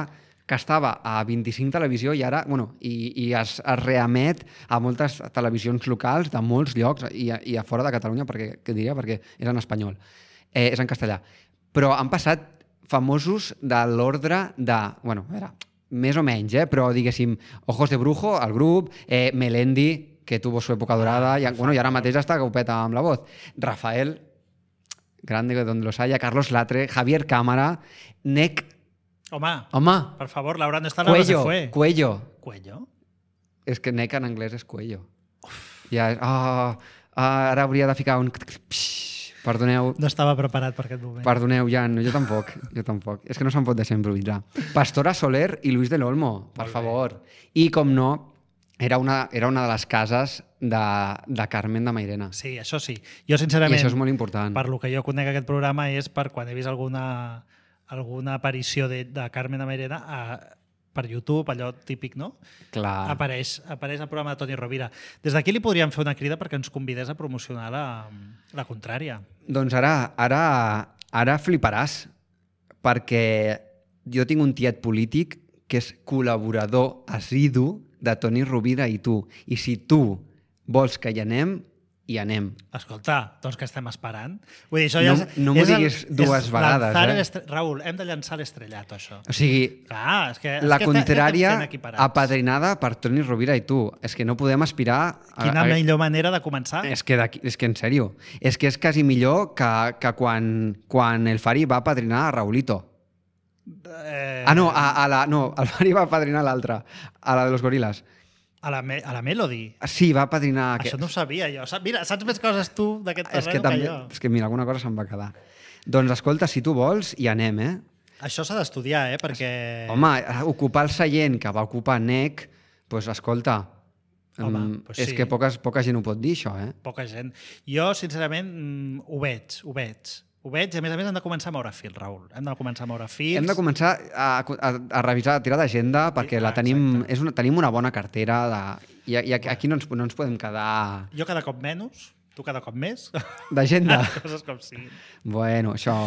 C: que estava a vint-i-cinc Televisió i ara, bueno, i, i es, es reemet a moltes televisions locals de molts llocs i a, i a fora de Catalunya, perquè, què diria? Perquè és en espanyol, eh, és en castellà. Però han passat famosos de l'ordre de, bueno, a veure, més o menys, eh, però diguéssim, Ojos de Brujo, el grup, eh, Melendi, que tuvo su època dorada, i, bueno, i ara mateix està que ho peta amb la voz. Rafael, grande de donde los haya, Carlos Latre, Javier Cámara, Nec...
B: Home,
C: Home,
B: per favor, Laura, no está la no se
C: Cuello,
B: fue.
C: Cuello.
B: Cuello?
C: És que Nec en anglès és Cuello. Ja, oh, ara hauria de ficar un... Perdoneu,
B: No estava preparat per aquest moment.
C: perdoneu, Jan, jo tampoc, jo tampoc. És que no se'n pot deixar improvisar. Pastora Soler i Luis del Olmo, per
B: Molt bé.
C: favor. I, com no, era una, era una de les cases de, de Carmen de Mairena.
B: Sí, això sí. Jo,
C: I
B: sincerament,
C: això és molt important.
B: per lo que jo conec aquest programa és per quan he vist alguna, alguna aparició de, de Carmen de Mairena a, per YouTube, allò típic, no?
C: Clar.
B: Apareix, apareix el programa de Toni Rovira. Des d'aquí li podríem fer una crida perquè ens convidés a promocionar la, la contrària.
C: Doncs ara, ara, ara fliparàs, perquè jo tinc un tiet polític que és col·laborador assidu de Toni Rovira i tu. I si tu vols que hi anem, hi anem.
B: Escolta, doncs què estem esperant? Vull dir, això ja
C: No-
B: és,
C: no m'ho
B: és el-
C: diguis dues
B: és
C: vegades,
B: lanzar
C: eh?
B: el estre- Raül, hem de llançar l'estrellat, això.
C: O sigui,
B: Clar, és que... és
C: la
B: que estem-
C: contrària
B: estem fent equiparats.
C: apadrinada per Toni Rovira i tu. És que no podem aspirar... A,
B: Quina
C: a,
B: millor manera de començar?
C: és que, d'aquí- és que en sèrio, és que és quasi millor que, que quan, quan el Fari va apadrinar a Raulito.
B: Eh,
C: Ah, no, a, a la, no, el Fari va apadrinar l'altra, a la de los gorilas.
B: a, la, me- a la Melody.
C: Sí, va apadrinar...
B: Això no ho sabia jo. Sa- Mira, saps més coses tu d'aquest
C: és
B: terreny
C: que,
B: que,
C: també,
B: jo.
C: és que mira, alguna cosa se'n va quedar. Doncs escolta, si tu vols, hi anem, eh?
B: Això s'ha d'estudiar, eh? Perquè...
C: Home, ocupar el seient que va ocupar Nec, doncs escolta,
B: Home,
C: mm,
B: pues
C: és
B: sí.
C: que poques, poca gent ho pot dir, això, eh?
B: Poca gent. Jo, sincerament, mm, ho veig, ho veig. Ho veig, i a més a més hem de començar a moure fil, Raül. Hem de començar a moure fils.
C: Hem de començar a, a, a revisar, a tirar d'agenda, perquè
B: Ah,
C: la tenim,
B: exacte.
C: és una, tenim una bona cartera de, i, i aquí no ens, no ens podem quedar
B: Jo cada cop menys, tu cada cop més.
C: d'agenda.
B: Coses com siguin.
C: Bueno, això...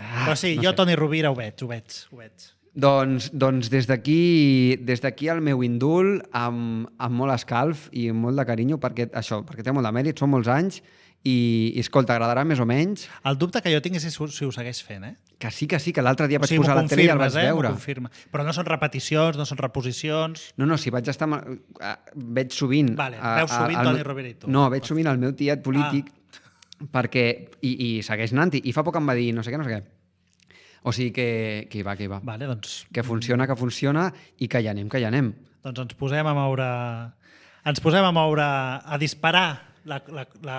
C: Ah,
B: Però sí,
C: no
B: jo,
C: sé.
B: Toni Rovira, ho veig, ho veig, ho veig.
C: Doncs, doncs des d'aquí des d'aquí el meu indult amb, amb molt escalf i amb molt de carinyo perquè això, perquè té molt de mèrit, són molts anys i, i escolta, agradarà més o menys
B: El dubte que jo tinc és si, si ho segueix fent, eh?
C: que sí, que sí, que l'altre dia
B: O
C: vaig
B: sigui,
C: posar
B: m'ho
C: la tele i el vaig
B: confirmes, eh? M'ho
C: veure.
B: confirma. Però no són repeticions, no són reposicions...
C: No, no, si vaig estar... eh, Veig sovint...
B: Vale,
C: a-
B: veus
C: a-
B: sovint
C: al
B: Toni
C: meu-
B: Rovira i tu.
C: No, veig sovint el meu tiet polític
B: Ah.
C: perquè... I, i segueix anant-hi. I fa poc em va dir no sé què, no sé què. O sigui que, que hi va, que hi va.
B: Vale, doncs,
C: Que funciona, que funciona i que hi anem, que hi anem.
B: doncs ens posem a moure... Ens posem a moure... A disparar la... la, la...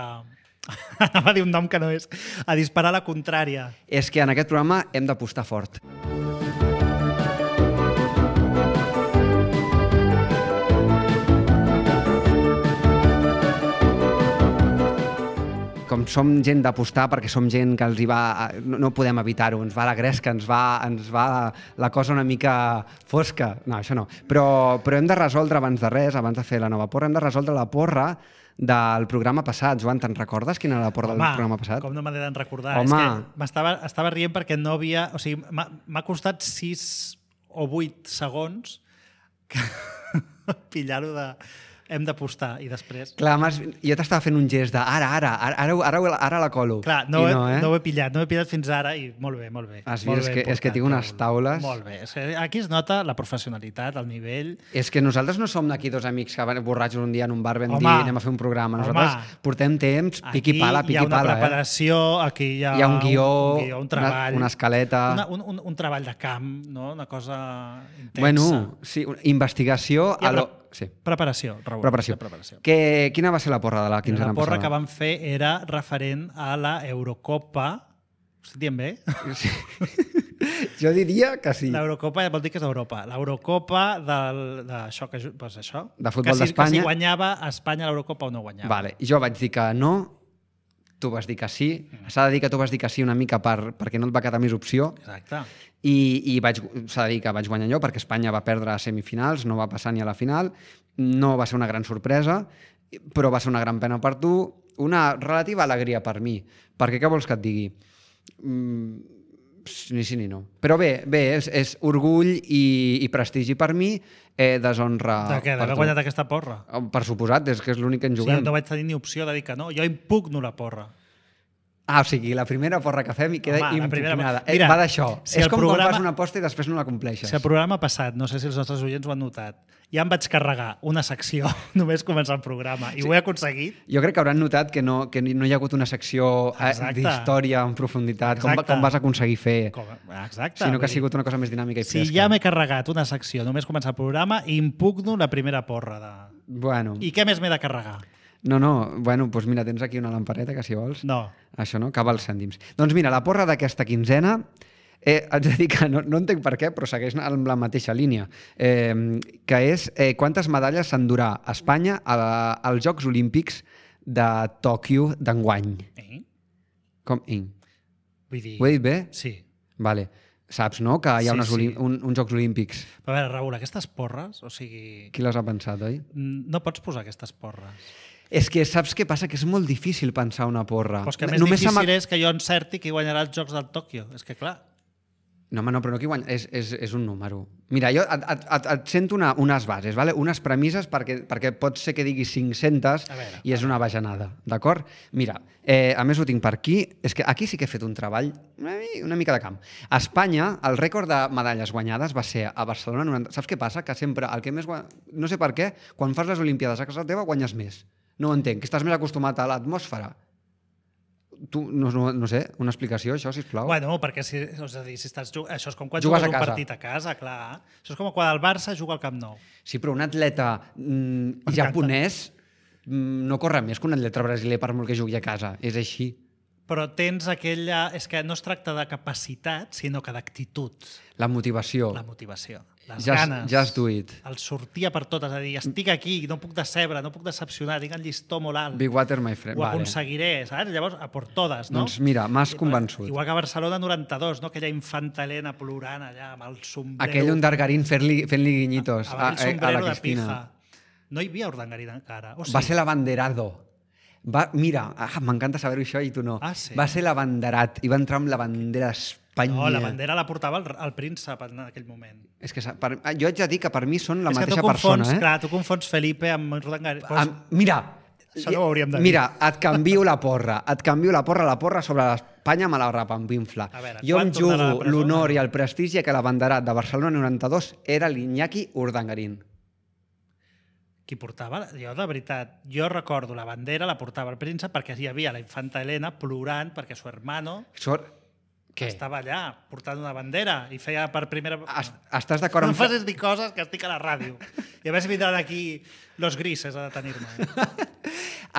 B: Anava a dir un nom que no és. A disparar la contrària.
C: És que en aquest programa hem d'apostar fort. Com som gent d'apostar perquè som gent que els hi va... No, no podem evitar-ho, ens va la gresca, ens va, ens va la, la cosa una mica fosca. No, això no. Però, però hem de resoldre abans de res, abans de fer la nova porra, hem de resoldre la porra del programa passat. Joan, te'n recordes quina era la porra del programa passat?
B: com no m'he de recordar.
C: Home.
B: És que m'estava estava rient perquè no havia... O sigui, m'ha m'ha costat sis o vuit segons que pillar-ho de... Hem d'apostar i després...
C: Clar, m'has- jo t'estava fent un gest de ara, ara, ara, ara, ara, ara la colo.
B: Clar, no,
C: I
B: he,
C: no, eh?
B: no ho he pillat, no ho he pillat fins ara i molt bé, molt bé.
C: Has
B: molt
C: vist? És
B: bé
C: que- és que
B: portat,
C: tinc unes
B: Raül.
C: taules.
B: Molt bé. És que aquí es nota la professionalitat, el nivell...
C: És que nosaltres no som d'aquí dos amics que van borratxos un dia en un bar vam
B: Home,
C: dir anem a fer un programa. Nosaltres
B: home,
C: portem temps, piqui pala,
B: Aquí hi ha
C: piqui
B: una
C: pala.
B: preparació, aquí hi ha,
C: Hi ha un guió,
B: un, guió, un treball,
C: una, una escaleta...
B: una, un, un, un treball de camp, no? Una cosa intensa.
C: Bueno, sí, una investigació...
B: Hi ha
C: a lo...
B: pre-
C: sí.
B: Preparació, Raül.
C: Preparació.
B: hi ha preparació.
C: Que, quina va ser la porra de la quinzena
B: La porra
C: passada?
B: que van fer era referent a la Eurocopa. Ho estic dient bé?
C: Sí. Jo diria que sí.
B: L'Eurocopa vol dir que és Europa. L'Eurocopa del, d'això que, ju- doncs això,
C: De futbol
B: que si,
C: d'Espanya.
B: Que si guanyava Espanya l'Eurocopa o no guanyava.
C: Vale. Jo vaig dir que no, tu vas dir que sí. S'ha de dir que tu vas dir que sí una mica per, perquè no et va quedar més opció.
B: Exacte.
C: I, i vaig, s'ha de dir que vaig guanyar jo perquè Espanya va perdre a semifinals, no va passar ni a la final, no va ser una gran sorpresa, però va ser una gran pena per tu, una relativa alegria per mi, perquè què vols que et digui? Mm, ni sí ni no. Però bé, bé és, és orgull i, i prestigi per mi, eh, deshonra
B: De què?
C: per
B: D'haver
C: tu.
B: guanyat aquesta porra?
C: Per suposat, és que és l'únic que en
B: Sí,
C: juguem.
B: no vaig tenir ni opció de dir que no. Jo impugno la porra.
C: Ah, o sigui, la primera porra que fem i queda
B: Home, la primera-
C: impugnada.
B: Mira,
C: Eh, va d'això.
B: si
C: és
B: el
C: com
B: programa-
C: quan fas una aposta i després no la compleixes.
B: Si el programa passat, no sé si els nostres oients ho han notat, ja em vaig carregar una secció només començar el programa i sí. ho he aconseguit.
C: Jo crec que hauran notat que no, que no hi ha hagut una secció eh,
B: Exacte.
C: d'història en profunditat, com,
B: Exacte.
C: com vas aconseguir fer,
B: Com, exacte.
C: sinó que
B: vull
C: ha sigut una cosa més dinàmica i
B: dir, si
C: fresca.
B: ja m'he carregat una secció només començar el programa, impugno la primera porra. De...
C: Bueno,
B: I què més m'he de carregar?
C: no, no, bueno, doncs mira, tens aquí una lampareta que si vols.
B: No.
C: Això no, cava els cèntims. Doncs mira, la porra d'aquesta quinzena, eh, haig de dir que no, no entenc per què, però segueix amb la mateixa línia, eh, que és eh, quantes medalles s'endurà Espanya a la, als Jocs Olímpics de Tòquio d'enguany.
B: Eh?
C: Com? Eh?
B: Vull dir...
C: Ho he dit bé?
B: Sí.
C: Vale. Saps, no?, que hi ha
B: Sí,
C: unes
B: sí.
C: olim- un, uns Jocs Olímpics.
B: Però a veure, Raül, aquestes porres, o sigui...
C: Qui les ha pensat, oi?
B: No pots posar aquestes porres.
C: És que saps què passa? Que és molt difícil pensar una porra.
B: Però és que més
C: Només se m'ha-
B: difícil és que jo encerti qui guanyarà els Jocs del Tòquio. És que clar...
C: No, home, no, però no qui guanya, és, és, és un número. Mira, jo et, et, et, et sento una, unes bases, vale? Unes premisses, perquè, perquè pot ser que diguis cinc-centes
B: A veure,
C: i és una bajanada, d'acord? Mira, eh, a més ho tinc per aquí, és que aquí sí que he fet un treball una, mi- una mica de camp. A Espanya, el rècord de medalles guanyades va ser a Barcelona noranta... Saps què passa? Que sempre el que més guanya... No sé per què, quan fas les Olimpiades a casa teva guanyes més. No ho entenc, que estàs més acostumat a l'atmosfera. Tu, no, no, no sé, una explicació, això, sisplau.
B: Bueno, perquè si, és a dir, si estàs jug... això és com quan
C: Jugues
B: jugues,
C: a
B: un
C: casa.
B: partit a casa, clar. Això és com quan el Barça juga al Camp Nou.
C: Sí, però un atleta mm,
B: M'encanta.
C: japonès mm, no corre més que un atleta brasiler per molt que jugui a casa. És així.
B: Però tens aquella... És que no es tracta de capacitat, sinó que d'actitud.
C: La motivació.
B: La motivació, les
C: Just,
B: ganes.
C: just do it.
B: El sortir per tot, és a dir, estic aquí, no puc decebre, no puc decepcionar, tinc el llistó molt alt.
C: Big water, my friend.
B: Ho
C: Vale.
B: aconseguiré, saps? Llavors, a por totes, no?
C: Doncs mira, m'has convençut.
B: Igual que a Barcelona noranta-dos, no? Aquella infanta Helena plorant allà amb el sombrero.
C: Aquell Undargarín fent-li fent guinyitos
B: amb
C: a,
B: el
C: a, a
B: sombrero
C: la
B: de
C: Cristina.
B: pija. No hi havia Urdangarín encara. O sí?
C: Va ser l'abanderado. Va, mira, ah, m'encanta saber-ho això i tu no.
B: Ah, sí?
C: Va ser l'abanderat i va entrar amb la bandera d'Espanya.
B: No, la bandera la portava el, el príncep en aquell moment.
C: És que sa- per, jo haig de dir que per mi són la
B: és que
C: mateixa
B: tu confons,
C: persona. Eh?
B: clar, tu confons Felipe amb Urdangarín. Pues,
C: Am, mira,
B: Això no ho hauríem de dir.
C: mira, et canvio la porra, et canvio la porra, la porra sobre l'Espanya me la repampinfla.
B: A veure,
C: Jo
B: quan
C: em
B: tornarà a la
C: jugo
B: presó?
C: l'honor i el prestigi que l'abanderat de Barcelona noranta-dos era l'Iñaki Urdangarín.
B: qui portava... Jo, de veritat, jo recordo la bandera, la portava el príncep perquè hi havia la infanta Helena plorant perquè su hermano
C: Sort... Què?
B: estava allà portant una bandera i feia per primera...
C: Es, estàs d'acord
B: No
C: amb...
B: em facis dir coses que estic a la ràdio. I a veure si vindran aquí los grises a detenir-me.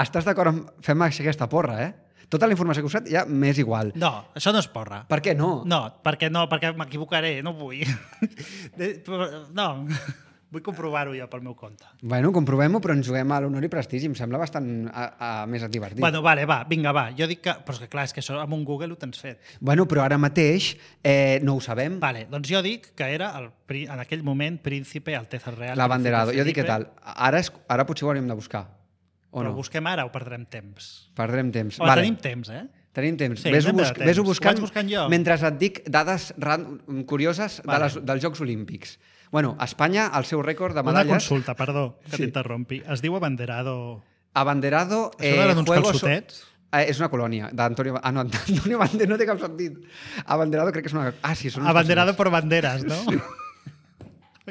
C: Estàs d'acord amb... Fem aquesta porra, eh? Tota la informació que us he ja m'és igual.
B: No, això no és porra.
C: Per què no?
B: No, perquè no, perquè m'equivocaré, no vull. De- però- No, vull comprovar-ho jo pel meu compte.
C: Bueno, comprovem-ho, però ens juguem a l'honor i prestigi. Em sembla bastant a, a, més divertit.
B: Bueno, vale, va, vinga, va. Jo dic que... Però és que clar, és que això amb un Google ho tens fet.
C: bueno, però ara mateix eh, no ho sabem.
B: Vale, doncs jo dic que era el, pri- en aquell moment príncipe Alteza Real.
C: L'abanderado.
B: Príncipe
C: Jo dic què
B: Felipe.
C: tal. Ara, és, ara potser ho hauríem de buscar. O
B: Però
C: no?
B: busquem ara o perdrem temps?
C: Perdrem temps.
B: Home, tenim temps, eh?
C: Tenim temps.
B: Sí,
C: Ves-ho
B: anem de
C: busc
B: temps.
C: ves-ho
B: Ho
C: buscant,
B: vaig buscant jo.
C: mentre et dic dades ran curioses
B: Vale.
C: de les, dels Jocs Olímpics. Bueno, Espanya, el seu rècord de
B: Una
C: medalles...
B: consulta, perdó, que
C: Sí.
B: t'interrompi. Es diu abanderado...
C: Abanderado...
B: Això no eren uns
C: Juegos-
B: calçotets?
C: Eh, és una colònia d'Antonio... Ah, no, Antonio Banderas no té cap sentit. Abanderado crec que és una... Ah, sí, són uns
B: Abanderado
C: calçotets.
B: por banderas, no?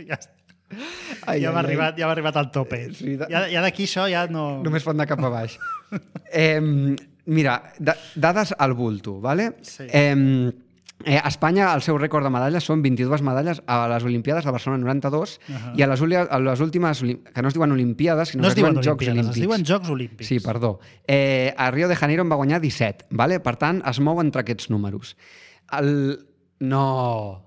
B: ja està.
C: Ai,
B: ja
C: ai,
B: m'ha
C: ai.
B: arribat, ja m'ha arribat al tope.
C: Sí, de-
B: Ja, ja d'aquí això ja no...
C: Només pot anar cap a baix. eh, mira, da, dades al bulto, ¿vale?
B: Sí.
C: Eh, eh, a Espanya el seu rècord de medalles són vint-i-dues medalles a les Olimpiades de Barcelona noranta-dos
B: Ahà.
C: i a les, uli- a les últimes, olim- que no es diuen Olimpiades, sinó
B: No
C: que
B: es diuen
C: Jocs
B: Olimpiades,
C: Olímpics.
B: es diuen Jocs Olímpics.
C: Sí, perdó. Eh, a Rio de Janeiro en va guanyar disset, ¿vale? Per tant, es mou entre aquests números. El... No...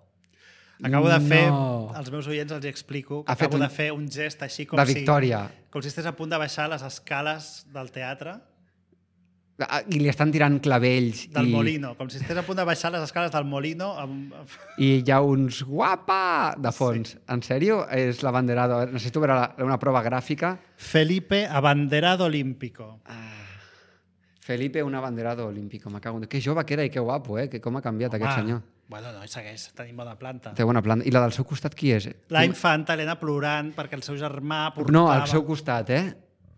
B: Acabo de fer,
C: No.
B: als meus oients els hi explico, que
C: Ha fet
B: acabo
C: un-
B: de fer un gest així com
C: De
B: si...
C: victòria.
B: Com si estigués a punt de baixar les escales del teatre,
C: Ah, I li estan tirant clavells
B: del
C: i,
B: Molino, com si estigués a punt de baixar les escales del Molino amb...
C: i hi ha uns guapa de fons. Sí. En sèrio? És l'abanderado. A veure, necessito veure la, una prova gràfica.
B: Felipe Abanderado Olímpico.
C: Felipe, un abanderado olímpico. Me cago en... Que jove que era i que guapo, eh? Que com ha canviat
B: Home,
C: aquest senyor.
B: Bueno, no, segueix tenint bona planta.
C: Té bona planta. I la del seu costat qui és?
B: La infanta Helena plorant perquè el seu germà portava...
C: No, al seu costat, eh?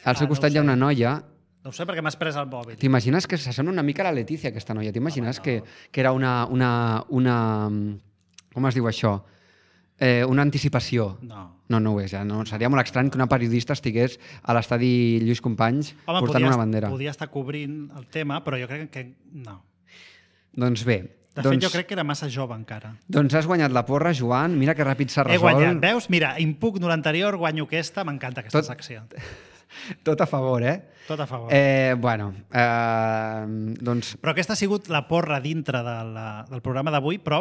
C: Al seu
B: Ah, no
C: costat
B: ho
C: hi ha
B: sé.
C: una noia...
B: No ho sé perquè m'has pres el mòbil.
C: T'imagines que s'assembla una mica a la Letícia, aquesta noia? T'imagines
B: Home,
C: que,
B: no.
C: que era una, una, una... Com es diu això? Eh, una anticipació.
B: No.
C: No, no ho és, ja. No, seria molt estrany que una periodista estigués a l'estadi Lluís Companys
B: Home,
C: portant
B: podia,
C: una bandera.
B: podia estar cobrint el tema, però jo crec que no.
C: Doncs bé.
B: De
C: doncs,
B: fet, jo crec que era massa jove encara.
C: Doncs has guanyat la porra, Joan. Mira que ràpid s'ha
B: He
C: resolt.
B: guanyat, veus? Mira, impugno l'anterior, guanyo aquesta, m'encanta aquesta
C: Tot-
B: secció.
C: Tot a favor, eh?
B: Tot a favor.
C: Eh, bueno, eh, doncs
B: Però aquesta ha sigut la porra dintre de la, del programa d'avui, però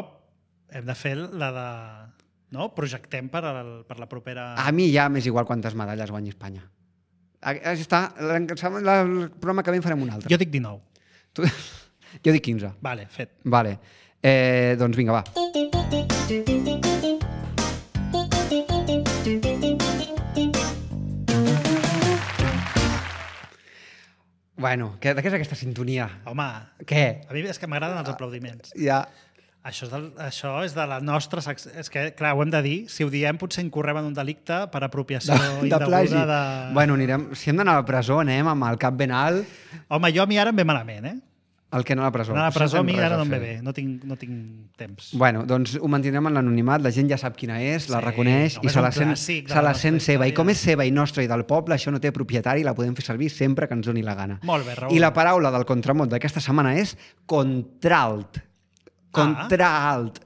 B: hem de fer la de... No? Projectem per, el, per la propera...
C: a mi ja m'és igual quantes medalles guanyi Espanya. Ah, ja està. El programa que ve en farem un altre.
B: Jo dic dinou.
C: Tu... Jo dic quinze.
B: Vale, fet.
C: Vale. Eh, doncs vinga, va. Bueno, què, de què és aquesta sintonia?
B: Home,
C: Què?
B: a mi és que m'agraden els aplaudiments.
C: Ja...
B: Això és, del, això és de la nostra secció. És que, clar, ho hem de dir. Si ho diem, potser incorrem en un delicte per apropiació
C: De, de plagi.
B: indeguda de...
C: Bueno, anirem, si hem d'anar a la presó, anem amb el cap ben alt.
B: Home, jo a mi ara em ve malament, eh?
C: El que no a la presó.
B: Anar a la
C: Això
B: presó a
C: no
B: mi
C: té res
B: ara
C: a
B: no em ve
C: fer.
B: bé. No tinc, no tinc temps.
C: Bueno, doncs ho mantindrem en l'anonimat, la gent ja sap quina és, la
B: Sí,
C: reconeix
B: no,
C: i
B: és
C: se
B: un
C: la sent,
B: clàssic de
C: se
B: la
C: la sent
B: nostra
C: seva. I
B: història.
C: com és seva i nostra i del poble, això no té propietari, la podem fer servir sempre que ens doni la gana.
B: Molt bé, Raül.
C: I la paraula del contramot d'aquesta setmana és contralt. Contralt.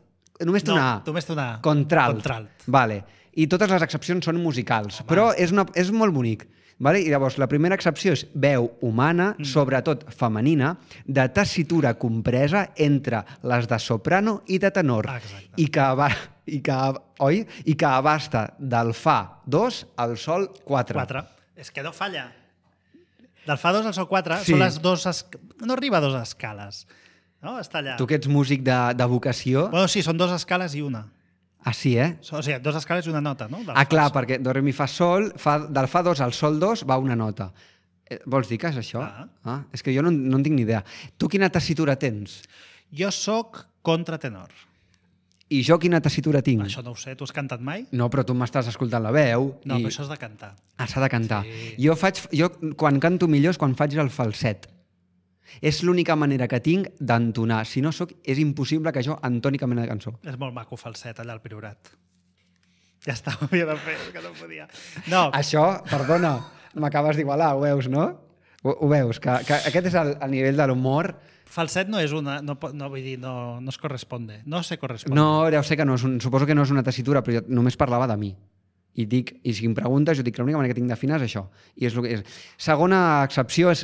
C: Només té
B: No,
C: una A.
B: només té una A.
C: Contralt.
B: Contralt.
C: Vale. I totes les excepcions són musicals, Home. però és, una, és molt bonic. Vale? I llavors, la primera excepció és veu humana, mm. sobretot femenina, de tessitura compresa entre les de soprano i de tenor.
B: Ah, exacte.
C: I que, aba, i, que, oi? I que abasta del fa dos al sol quatre.
B: quatre. És que no falla. Del fa dos al sol quatre
C: Sí.
B: són les dos... Es... No arriba a dos escales. No? Està allà.
C: Tu que ets músic de, de vocació...
B: Bueno, sí, són dos escales i una.
C: Ah, sí, eh?
B: O sigui, dos escales i una nota, no? Del
C: Ah,
B: fa
C: clar,
B: sol.
C: perquè do, re, mi, fa, sol, fa, del fa dos al sol dos va una nota. Eh, vols dir que és això?
B: Ah.
C: Ah, és que jo no, no en tinc ni idea. Tu quina tessitura tens?
B: Jo sóc contratenor.
C: I jo quina tessitura tinc?
B: Això no ho sé. Tu has cantat mai?
C: No, però tu m'estàs escoltant la veu.
B: No,
C: i...
B: però això és de cantar.
C: Ah, s'ha de cantar.
B: Sí.
C: Jo, faig, jo quan canto millor és quan faig el falset. És l'única manera que tinc d'entonar. Si no soc, és impossible que jo entoni cap mena de cançó.
B: És molt maco falset allà al Priorat. Ja està, ho havia de fer, és que no podia. No,
C: Això, perdona, m'acabes d'igualar, ho veus, no? Ho, ho veus, que, que aquest és el, el nivell de l'humor.
B: falset no és una... No, po- no vull dir, no, no es corresponde. No se corresponde.
C: No, ja ho sé que no és un, suposo que no és una tessitura, però jo només parlava de mi. I dic, i si em preguntes, jo dic que l'única manera que tinc d'afinar és això. I és el que és. Segona excepció és,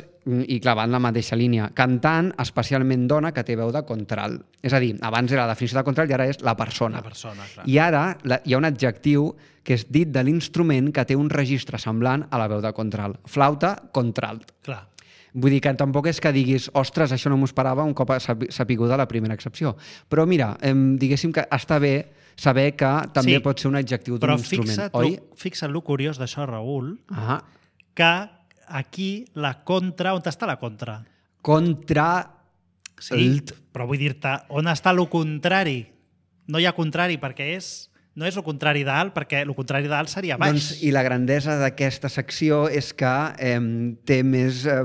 C: i clar, va en la mateixa línia, cantant, especialment dona, que té veu de contralt. És a dir, abans era la definició de contralt i ara és la persona.
B: La persona, clar.
C: I ara la, hi ha un adjectiu que és dit de l'instrument que té un registre semblant a la veu de contralt. Flauta, contralt.
B: Clar.
C: Vull dir que tampoc és que diguis ostres, això no m'ho esperava un cop s'ha sapigut la primera excepció. Però mira, em, diguéssim que està bé saber que també
B: Sí,
C: pot ser un adjectiu d'un
B: Però
C: instrument,
B: fixa't,
C: oi?
B: lo, fixa't lo curiós d'això, Raül,
C: Ah,
B: que aquí la contra... On està la contra?
C: contra...
B: Sí,
C: Elt.
B: però vull dir-te, on està lo contrari? No hi ha contrari, perquè és... No és el contrari d'alt, perquè el contrari d'alt seria baix.
C: Doncs, I la grandesa d'aquesta secció és que eh, té més... Eh,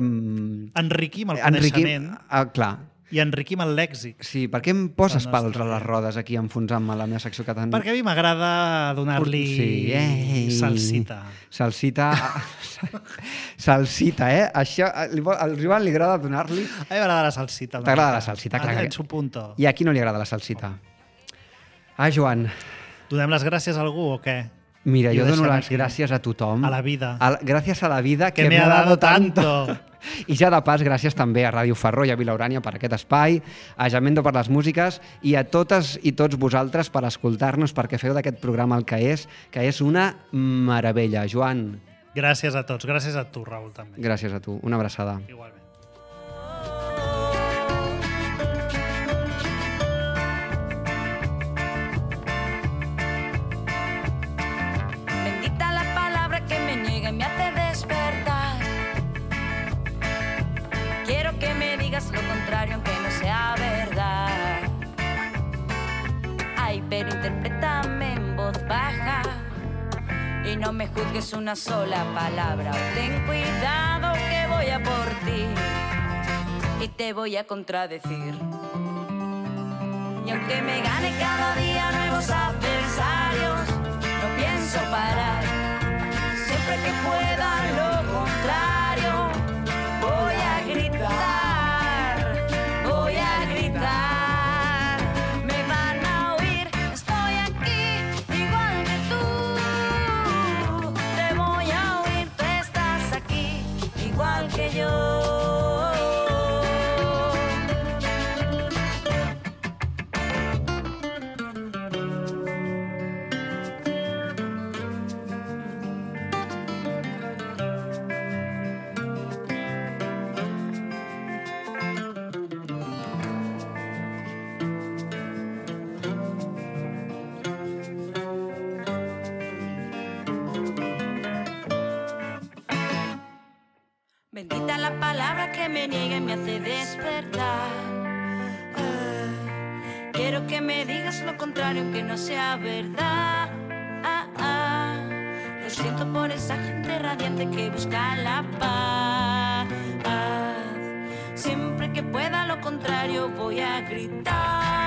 B: Enriquim el coneixement
C: Ah, clar.
B: i enriquim el lèxic.
C: Sí, per què em poses
B: La
C: pals
B: nostra
C: a les rodes aquí enfonsant-me a la meva secció que tant...
B: Perquè a mi m'agrada donar-li
C: Sí, ei.
B: salsita.
C: Salsita... Salsita, eh? Això, li vol- al Joan li agrada donar-li...
B: A mi m'agrada la salsita. una
C: T'agrada
B: mica.
C: la salsita, clar.
B: En su punto.
C: I a qui no li agrada la salsita? Ah, Joan,
B: Donem les gràcies a algú o què?
C: mira,
B: I ho
C: jo dono
B: deixem
C: les
B: aquí.
C: gràcies a tothom.
B: A la vida.
C: A la, gràcies a la vida que,
B: Que me ha dado tanto.
C: I ja de pas, gràcies també a Ràdio Ferró i a Vila Urània per aquest espai, a Jamendo per les músiques i a totes i tots vosaltres per escoltar-nos, perquè feu d'aquest programa el que és, que és una meravella. Joan,
B: Gràcies a tots. Gràcies a tu, Raül, també.
C: gràcies a tu. Una abraçada.
B: Igualment.
F: Bendita la palabra que me niega y me hace despertar. Quiero que me digas lo contrario aunque no sea verdad. pero interprétame en voz baja. Y no me juzgues una sola palabra. Ten cuidado que voy a por ti y te voy a contradecir. Y aunque me gane cada día nuevos adversarios, no pienso parar. Siempre que pueda lo contrario, voy a gritar, voy a gritar. Me van a oír, estoy aquí, igual que tú. Te voy a oír, tú estás aquí, igual que yo. Bendita la palabra que me niega y me hace despertar. Ah, quiero que me digas lo contrario, aunque no sea verdad. Ah, ah, lo siento por esa gente radiante que busca la paz. Siempre que pueda lo contrario voy a gritar.